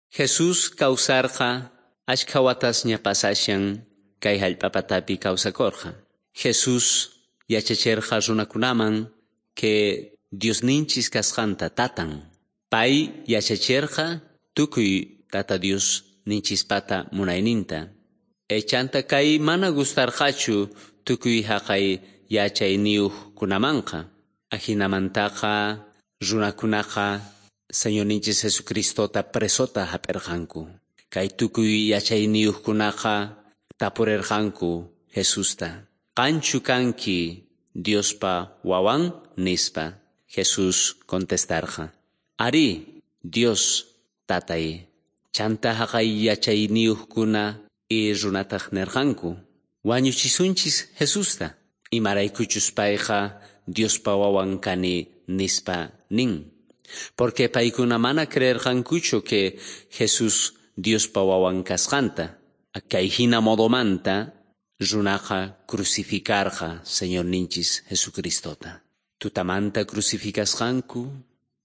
Jesús kawsarqa achkha watasña pasashan kay hallp'apatapi kawsakorqa. Jesús yachacherqa runakunaman que Diosninchis kasqanta tatan. Pay yachacherqa tukuy Tata Dios ninchispata munayninta. Chanta kay mana gustarqachu tukuy haqay yachayniyuqkunamanqa. Ajinamantaqa runakunaqa Señorninchis Jesucristota presota hap'irqanku. Kay tukuy yachayniyuqkunaqa tapurerqanku Jesusta. Qanchu kanki Diospa wawan nispa. Jesús contestarqa. Ari, Dios tatay. Chanta haqay yachayniyuqkuna y runataq nerqanku. Wañuchisunchis Jesusta. Imaraykuchus payqa Diospa wawan kani nispa nin. Porque paykuna mana creerqankuchu que Jesús Diospa wawan kasqanta. Kay hina modomanta runaqa crucificarqa Señorninchis Jesucristota. Tutamanta crucificasqanku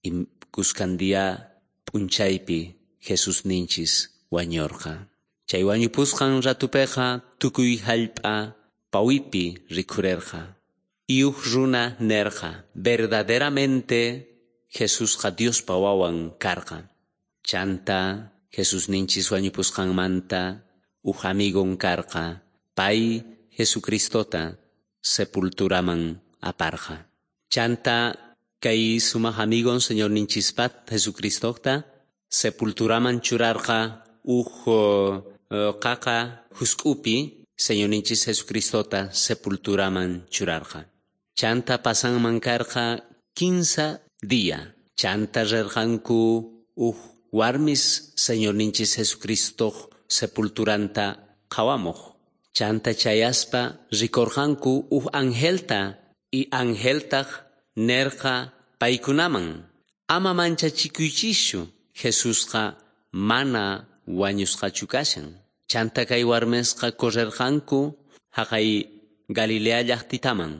y kuskan día p'unchaypi Jesús ninchis wañorqa. Chay wañupusqan ratupeqa tukuy hallp'a pawipi rikhurerqa. Y uj runa nerqa verdaderamente Jesusqa Diospa wawan karqa. Chanta Jesús ninchis wañupusqanmanta uj amigon karqa. Pay Jesucristota sepulturaman aparqa. Chanta kay sumaq amigon Señor ninchispat Jesucristota sepulturaman churarqa uj qaqa husk'upi Señor ninchis Jesucristota sepulturaman churarqa. Chanta pasanman karqa 15 día. Chanta rerqanku uj warmis Señor ninchis Jesucristo sepulturanta qhawamuq. Chanta chayaspa rikorqanku uj angelta y angeltaq nerqa paykunaman. Ama manchachikuychischu Jesusqa mana wañusqachu kashan. Chanta kay warmisqa correrqanku haqay Galilea llaqtitaman.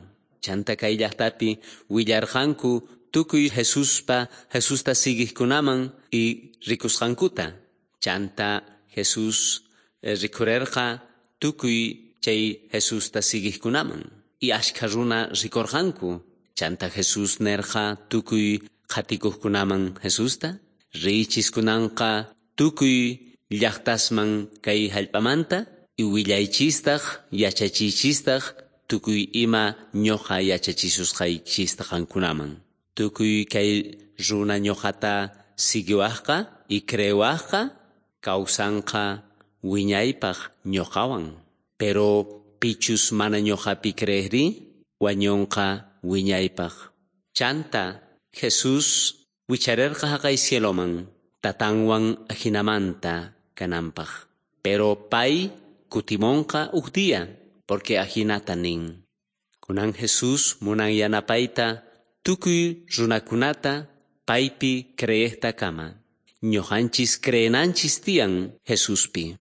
Chanta kay llaqtapi willarqanku tukuy Jesuspa Jesusta siguiqkunaman y rikusqankuta. Chanta Jesús rikhurerqa tukuy chay Jesusta siguiqkunaman. Y ashkha runa rikorqanku. Chanta Jesús nerqa tukuy qhatikuqkunaman Jesusta. Riychiskunanqa tukuy llaqtasman kay hallp'amanta y willaychistaq yachachiychistaq tukuy ima ñuqa yachachisusqaychista qankunaman. Tukuy kay runa ñuqata siguiwaqqa y creewaqqa kawsanqa wiñaypaq ñuqawan. Pero pichus mana ñuqapi creeqri wañunqa wiñaypaq. Chanta Jesús wicharerqa haqay cieloman tatanwan ajinamanta kananpaq. Pero pay kutimonqa uj día porque ajinata nin. Kunan Jesús munan yanapayta tukuy runakunata paypi creejtakama. Ñuqanchis creenanchis tiyan Jesuspi.